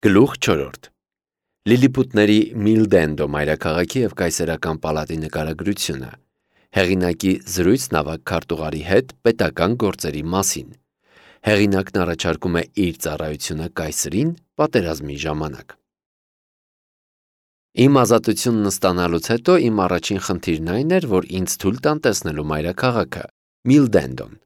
Գլուխ 4. Լիլիպուտների Միլդենդո մայրաքաղաքի և կայսերական պալատի նկարագրությունը, հեղինակի զրույցն ավագ քարտուղարի հետ պետական գործերի մասին, հեղինակն առաջարկում է իր ծառայությունը կայսրին պատերազմի ժամանակ։ Իմ ազատությունն ստանալուց հետո իմ առաջին խնդիրն այն էր, որ ինձ թույլ տան տեսնելու մայրաքաղաքը, Միլդենդոն։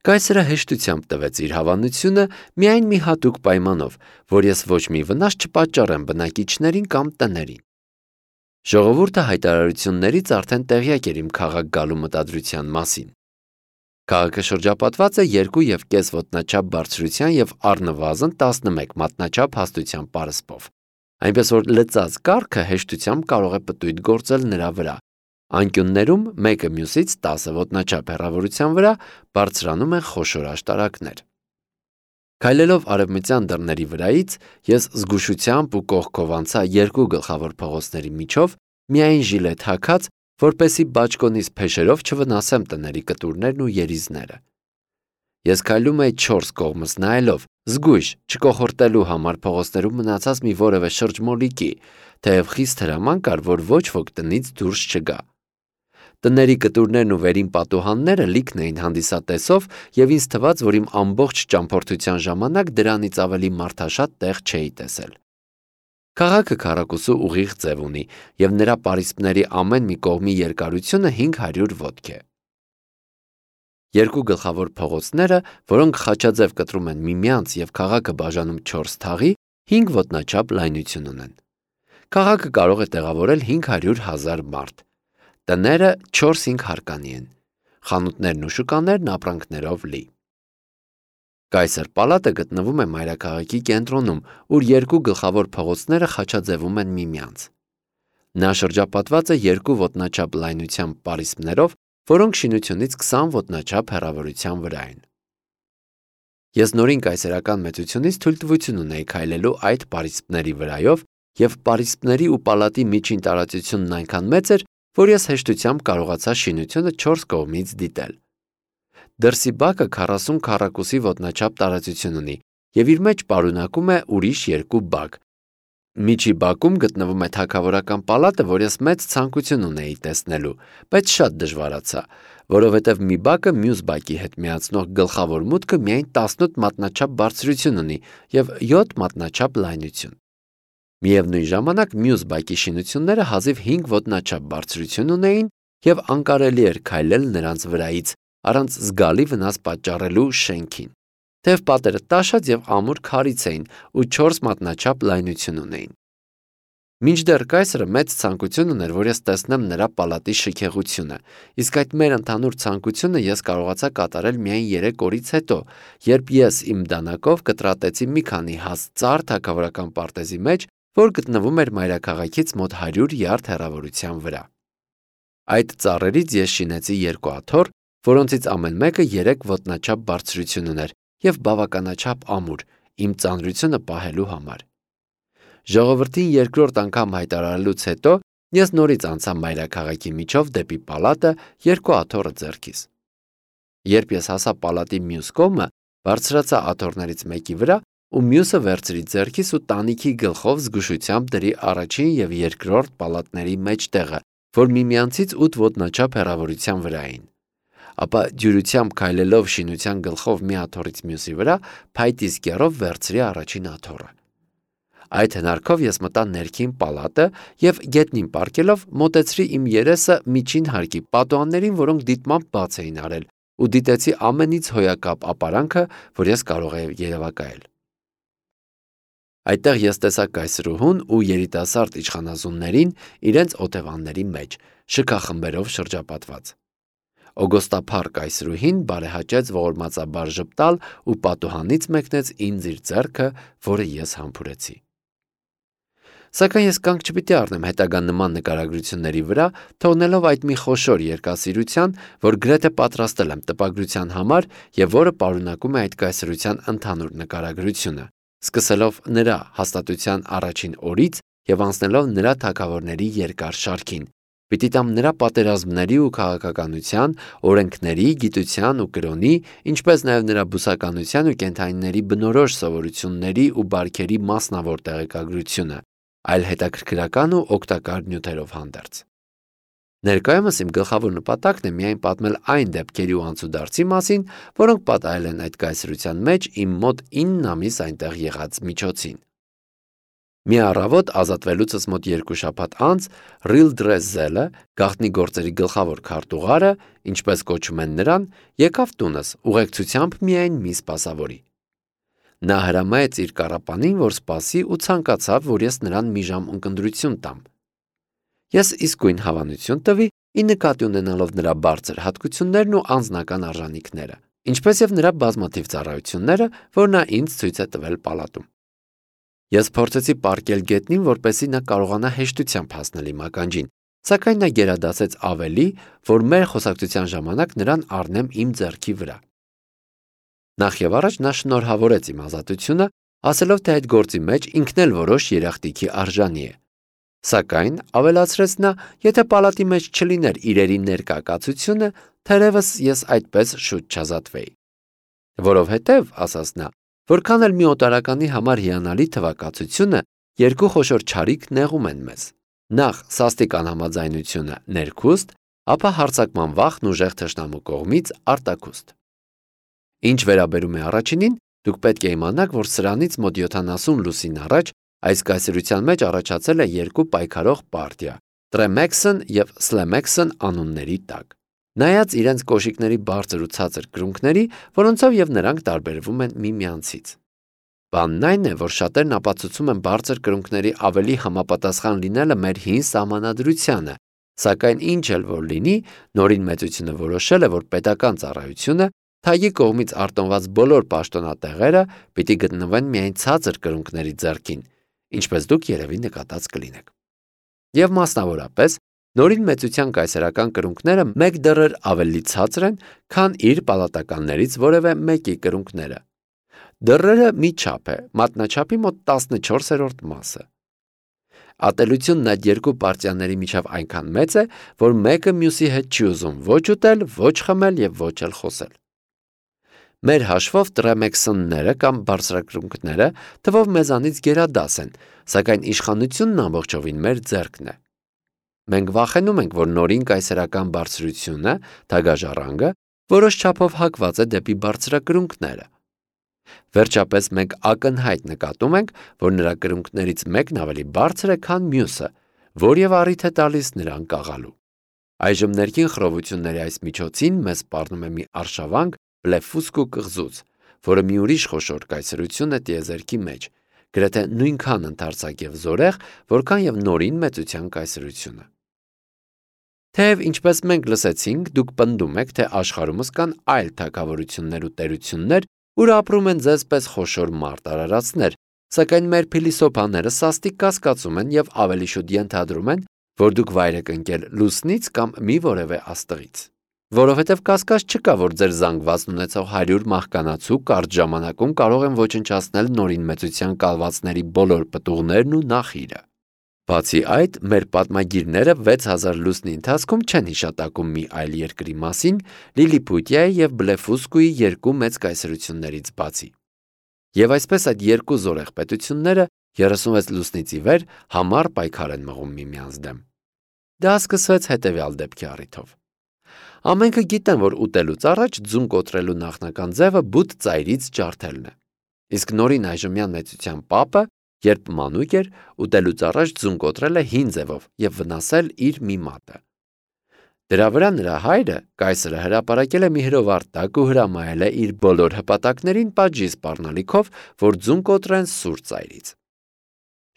Կայսրը հեշտությամբ տվեց իր հավանությունը միայն մի հատուկ պայմանով, որ ես ոչ մի վնաս չպատճառեմ բնակիչներին կամ տներին։ Ժողովուրդը հայտարարություններից արդեն տեղյակ էր իմ քաղաք գալու մտադրության մասին։ Քաղաքը շրջապատված է 2,5 ոտնաչափ բարձրության և առնվազն 11 մատնաչափ հաստության պարսպով, այնպես որ լծած կառքը հեշտությամբ կարող է պտույտ գործել նրա վրա։ Անկյուններում մեկը մյուսից 10 ոտնաչափ հեռավորության վրա բարձրանում են խոշոր աշտարակներ։ Քայլելով արևմտյան դռների վրայից, ես զգուշությամբ ու կողքով անցա երկու գլխավոր փողոցների միջով, միայն ժիլետ հագած, որպեսզի բաճկոնիս փեշերով չվնասեմ տների կտուրներն ու երիզները։ Ես քայլում էի 4 կողմս նայելով, զգույշ չկոխորտելու համար փողոցներում մնացած մի որևէ շրջմոլիկի, թեև խիստ հրաման կար, որ ոչ ոք տնից դուրս չգա։ Տների կտուրներն ու վերին պատուհանները լիքն էին հանդիսատեսով, և ինձ թվաց, որ իմ ամբողջ ճամփորդության ժամանակ դրանից ավելի մարդաշատ տեղ չէի տեսել։ Քաղաքը քառակուսու ուղիղ ձև ունի, և նրա պարիսպների ամեն մի կողմի երկարությունը 500 ոտք է։ Երկու գլխավոր փողոցները, որոնք խաչաձև կտրում են միմյանց և քաղաքը բաժանում 4 թաղի, 5 ոտնաչափ լայնություն ունեն։ Քաղաքը կարող է տեղավորել 500,000 մարդ։ Տները 4-5 հարկանի են, խանութներն ու շուկաներն ապրանքներով լի։ Կայսր պալատը գտնվում է մայրաքաղաքի կենտրոնում, ուր երկու գլխավոր փողոցները խաչաձևում են միմյանց։ Նա շրջապատված է 2 ոտնաչափ լայնությամբ պարիսպներով, որոնք շինությունից 20 ոտնաչափ հեռավորության վրա են։ Ես նորին կայսերական մեծությունից թույլտվություն ունեի քայլելու այդ պարիսպների վրայով, և պարիսպների ու պալատի միջին տարածությունն այնքան մեծ էր, որ ես հեշտությամբ կարողացա շինությունը 4 կողմից դիտել։ Դրսի բակը 40 քառակուսի ոտնաչափ տարածություն ունի և իր մեջ պարունակում է ուրիշ 2 բակ։ Միջի բակում գտնվում է թագավորական պալատը, որ ես մեծ ցանկություն ունեի տեսնելու, բայց շատ դժվարացա, որովհետև մի բակը մյուս բակի հետ միացնող գլխավոր մուտքը միայն 18 մատնաչափ բարձրություն ունի և 7 մատնաչափ լայնություն։ Միևնույն ժամանակ մյուս բակի շինությունները հազիվ 5 ոտնաչափ բարձրություն ունեին և անկարելի էր քայլել նրանց վրայից, առանց զգալի վնաս պատճառելու շենքին, թեև պատերը տաշած և ամուր քարից էին ու 4 մատնաչափ լայնություն ունեին։ Մինչդեռ կայսրը մեծ ցանկություն ուներ, որ ես տեսնեմ նրա պալատի շքեղությունը, իսկ այդ մեր ընդհանուր ցանկությունը ես կարողացա կատարել միայն 3 օրից հետո, երբ ես իմ դանակով կտրատեցի մի քանի հաստ ծառ թագավորական պարտեզի մեջ, որ գտնվում էր մայրաքաղաքից մոտ 100 յարդ հեռավորության վրա։ Այդ ծառերից ես շինեցի 2 աթոռ, որոնցից ամեն մեկը 3 ոտնաչափ բարձրություն ուներ և բավականաչափ ամուր, իմ ծանրությունը պահելու համար։ Ժողովրդին երկրորդ անգամ հայտարարելուց հետո ես նորից անցա մայրաքաղաքի միջով դեպի պալատը 2 աթոռը ձեռքիս։ Երբ ես հասա պալատի մյուս կողմը, բարձրացա աթոռներից մեկի վրա ու մյուսը վերցրի ձեռքիս ու տանիքի գլխով զգուշությամբ դրի առաջին և երկրորդ պալատների մեջտեղը, որ միմյանցից 8 ոտնաչափ հեռավորության վրա էին։ Ապա դյուրությամբ քայլելով շինության գլխով մի աթոռից մյուսի վրա, փայտից կեռով վերցրի առաջին աթոռը։ Այդ հնարքով ես մտա ներքին պալատը և գետնին պառկելով մոտեցրի իմ երեսը միջին հարկի պատուհաններին, որոնք դիտմամբ բաց էին արել, ու դիտեցի ամենից հոյակապ ապարանքը, որ ես կարող էի երևակայել։ Այդտեղ ես տեսա կայսրուհուն ու երիտասարդ իշխանազուններին իրենց օթևանների մեջ, շքախմբերով շրջապատված։ Օգոստափառ կայսրուհին բարեհաճեց ողորմածաբար ժպտալ ու պատուհանից մեկնեց ինձ իր ձեռքը, որը ես համբուրեցի։ Սակայն ես կանգ չպիտի առնեմ հետագա նման նկարագրությունների վրա, թողնելով այդ մի խոշոր երկասիրության, որ գրեթե պատրաստել եմ տպագրության համար և որը պարունակում է այդ կայսրության ընդհանուր նկարագրությունը, սկսելով նրա հաստատության առաջին օրից և անցնելով նրա թագավորների երկար շարքին, Պիտի տամ նրա պատերազմների ու քաղաքականության, օրենքների, գիտության ու կրոնի, ինչպես նաև նրա բուսականության ու կենդանիների բնորոշ սովորությունների ու բարքերի մասնավոր տեղեկագրությունը, այլ հետաքրքրական ու օգտակար նյութերով հանդերձ։ Ներկայումս իմ գլխավոր նպատակն է միայն պատմել այն դեպքերի ու անցուդարձի մասին, որոնք պատահել են այդ կայսրության մեջ իմ մոտ 9 ամիս այնտեղ եղած միջոցին։ Մի առավոտ ազատվելուցս մոտ 2 շաբաթ անց Ռիլդրեզելը, գաղտնի գործերի գլխավոր քարտուղարը, ինչպես կոչում են նրան, եկավ տունս ուղեկցությամբ միայն մի սպասավորի։ Նա հրամայեց իր կառապանին, որ սպասի ու ցանկացավ, որ ես նրան մի ժամ ունկնդրություն տամ։ Ես իսկույն հավանություն տվի, ի նկատի ունենալով նրա բարձր հատկություններն ու անձնական արժանինքները, ինչպես եւ նրա բազմաթիվ ծառայությունները, որ նա ինձ ցույց է տվել պալատում։ Ես փորձեցի պառկել գետնին, որպեսզի նա կարողանա հեշտությամբ հասնել իմ ականջին, սակայն նա գերադասեց ավելի, որ մեր խոսակցության ժամանակ նրան առնեմ իմ ձեռքի վրա։ Նախ եւ առաջ նա շնորհավորեց իմ ազատությունը, ասելով, թե այդ գործի մեջ ինքն էլ որոշ երախտիկի արժանի է։ Սակայն, ավելացրեց նա, եթե պալատի մեջ չլիներ իրերի ներկա կացությունը, թերևս ես այդպես շուտ չազատվեի։ Որովհետև, ասաց նա, որքան էլ մի օտարականի համար հիանալի թվակացությունը, երկու խոշոր չարիք նեղում են մեզ։ Նախ սաստիկ անհամաձայնությունը ներքուստ, ապա հարձակման վախն ուժեղ թշնամու կողմից արտաքուստ։ Ինչ վերաբերում է առաջինին, դուք պետք է իմանաք, որ սրանից մոտ 70 լուսին առաջ այս կայսրության մեջ առաջացել է երկու պայքարող պարտիա՝ Տրեմեքսն եւ Սլեմեքսն անունների տակ։ Նայած իրենց կոշիկների բարձր ու ցածր կրունկների, որոնցով եւ նրանք տարբերվում են միմյանցից։ Բանն այն է, որ շատերն ապացուցում են բարձր կրունկների ավելի համապատասխան լինելը մեր հին սահմանադրությանը, սակայն ինչ էլ որ լինի, նորին մեծությունը որոշել է, որ պետական ծառայությունը թագի կողմից արտոնված բոլոր պաշտոնատեղերը պիտի գտնվեն միայն ցածր կրունկների ձեռքին, ինչպես դուք երևի նկատած կլինեք։ Եվ մասնավորապես, նորին մեծության կայսերական կրունկները մեկ դեռ ավելի ցածր են, քան իր պալատականներից որևէ մեկի կրունկները։ Դռերը մի չափ է, մատնաչափի մոտ 14-րդ մասը։ Ատելությունն այդ երկու պարտիաների միջև այնքան մեծ է, որ մեկը մյուսի հետ չի ուզում ոչ ուտել, ոչ խմել եւ ոչ էլ խոսել։ Մեր հաշվով տրեմեքսոնները կամ բարձրակրունկները թվով մեզանից գերադաս են, սակայն իշխանությունն ամբողջովին մեր ձեռքն է։ Մենք վախենում ենք, որ նորին կայսերական բարձրությունը, թագաժառանգը, որոշ չափով հակված է դեպի բարձրակրունկները։ Վերջապես մենք ակնհայտ նկատում ենք, որ նրա կրունկներից մեկն ավելի բարձր է, քան մյուսը, որ եւ առիթ է տալիս նրան կաղալու։ Այժմ ներքին խռովությունների այս միջոցին մեզ սպառնում է մի արշավանք Բլեֆուսկու կղզուց, որը մի ուրիշ խոշոր կայսրություն է տիեզերքի մեջ, գրեթե նույնքան ընդարձակ եւ զորեղ, որքան եւ նորին մեծության կայսրությունը։ Թեև ինչպես մենք լսեցինք, դուք պնդում եք, թե աշխարհումս կան այլ թագավորություններ ու տերություններ, ուր ապրում են ձեզ պես խոշոր մարտարարածներ, սակայն մեր փիլիսոփաները սաստիկ կասկածում են եւ ավելի շուտ ենթադրում են, որ դուք վայր եք ընկել լուսնից կամ մի որևէ աստղից։ Որովհետև կասկած չկա, որ ձեր զանգվածն ունեցող 100 մահկանացու կարճ ժամանակում կարող են ոչնչացնել նորին մեծության կալվածների բոլոր պտուղներն ու նախիրը։ Բացի այդ, մեր պատմագիրները 6000 լուսնի ընթացքում չեն հիշատակում մի այլ երկրի մասին, Լիլիփութիայի եւ Բլեֆուսկուի երկու մեծ կայսրություններից բացի։ Եվ այսպես այդ երկու զորեղ պետությունները 36 լուսնից ի վեր համառ պայքար են մղում միմյանց դեմ։ Դա սկսվեց հետևյալ դեպքի առիթով։ Ամենքը գիտեն, որ ուտելուց առաջ ձուն կոտրելու նախնական ձևը բութ ծայրից ջարդելն է։ Իսկ նորին այժմյան մեծության պապը, երբ մանուկ էր, ուտելուց առաջ ձուն կոտրել է հին ձևով եւ վնասել իր մի մատը։ Դրա վրա նրա հայրը, կայսրը, հրապարակել է մի հրովառ տակ ու հրամայել է իր բոլոր հպատակներին պատժի սպառնալիքով, որ ձուն կոտրեն սուր ծայրից։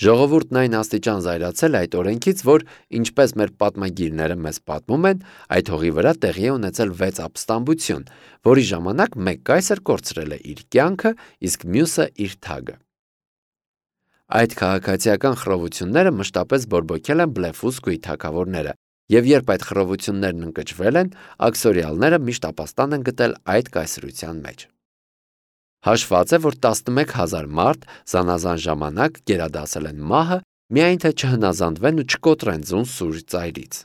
Ժողովուրդն այն աստիճան զայրացել է այդ օրենքից, որ, ինչպես մեր պատմագիրները մեզ պատմում են, այդ հողի վրա տեղի է ունեցել 6 ապստամբություն, որի ժամանակ մեկ կայսր կորցրել է իր կյանքը, իսկ մյուսը իր թագը։ Այդ քաղաքացիական խռովությունները մշտապես բորբոքել են Բլեֆուսկուի թագավորները, եւ երբ այդ խռովություններն ընկճվել են, աքսորիալները միշտ ապաստան են գտել այդ կայսրության մեջ։ Հաշված է, որ 11000 մարդ զանազան ժամանակ գերադասել են մահը, միայն թե չհնազանդվեն ու չկոտրեն ձուն սուր ծայրից։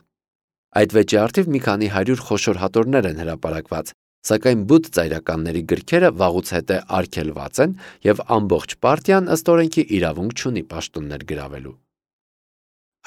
Այդ վեճի առթիվ մի քանի 100 խոշոր հատորներ են հրապարակված, սակայն բութ ծայրականների գրքերը վաղուց հետո արգելված են եւ ամբողջ պարտիան ըստ օրենքի իրավունք չունի պաշտոններ գրավելու։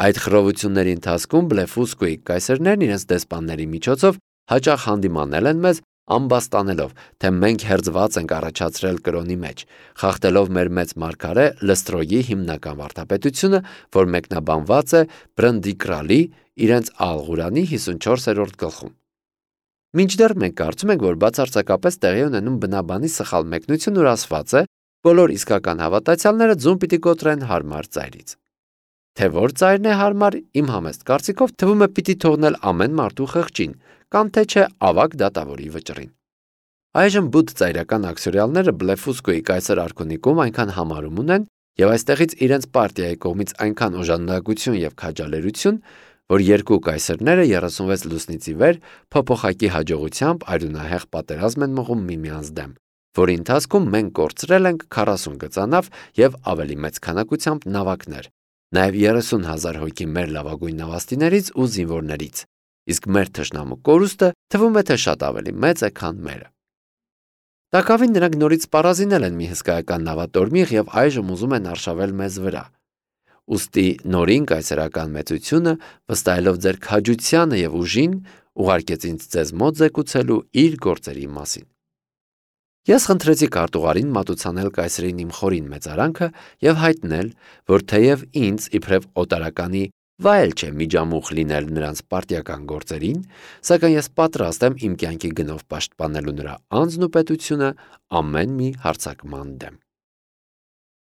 Այդ խռովությունների ընթացքում Բլեֆուսկոյի կայսերներն իրենց դեսպանների միջոցով հաճախ հանդիմանել են մեզ, ամբաստանելով, թե մենք հերձված ենք առաջացրել կրոնի մեջ, խախտելով մեր մեծ մարգարե Լստրոյի հիմնական վարդապետությունը, որ մեկնաբանված է Բրնդիկրալի իրենց Ալ-Ղուրանի 54-րդ գլխում։ Մինչդեռ մենք կարծում ենք, որ բացարձակապես տեղի ունենում բնաբանի սխալ մեկնություն, որ ասված է, բոլոր իսկական հավատացյալները ձուն պիտի կոտրեն հարմար ծայրից։ Թե որ ծայրն է հարմար, իմ համեստ կարծիքով թվում է պիտի թողնել ամեն մարդու խղճին, կամ թե չէ ավագ դատավորի վճռին։ Այժմ բութ ծայրական աքսորիալները Բլեֆուսկոյի կայսեր արքունիքում այնքան համարում ունեն եւ այստեղից իրենց պարտիայի կողմից այնքան օժանդակություն եւ քաջալերություն, որ երկու կայսերները 36 լուսնից ի վեր փոփոխակի հաջողությամբ արյունահեղ պատերազմ են մղում միմյանց դեմ, որի ընթացքում մենք կորցրել ենք 40 գծանավ եւ ավելի մեծ քանակությամբ նավակներ, նաեւ 30,000 հոգի մեր լավագույն նավաստիներից ու զինվորներից, իսկ մեր թշնամու կորուստը թվում է թե շատ ավելի մեծ է, քան մերը։ Տակավին նրանք նորից սպառազինել են մի հսկայական նավատորմիղ եւ այժմ ուզում են արշավել մեզ վրա։ Ուստի նորին կայսերական մեծությունը, վստահելով ձեր քաջությանը եւ ուժին, ուղարկեց ինձ ձեզ մոտ զեկուցելու իր գործերի մասին։ Ես խնդրեցի քարտուղարին մատուցանել կայսերին իմ խորին մեծարանքը եւ հայտնել, որ թեև ինձ իբրև օտարականի վայել չէ միջամուխ լինել նրանց պարտիական գործերին, սակայն ես պատրաստ եմ իմ կյանքի գնով պաշտպանելու նրա անձն ու պետությունը ամեն մի հարձակման դեմ։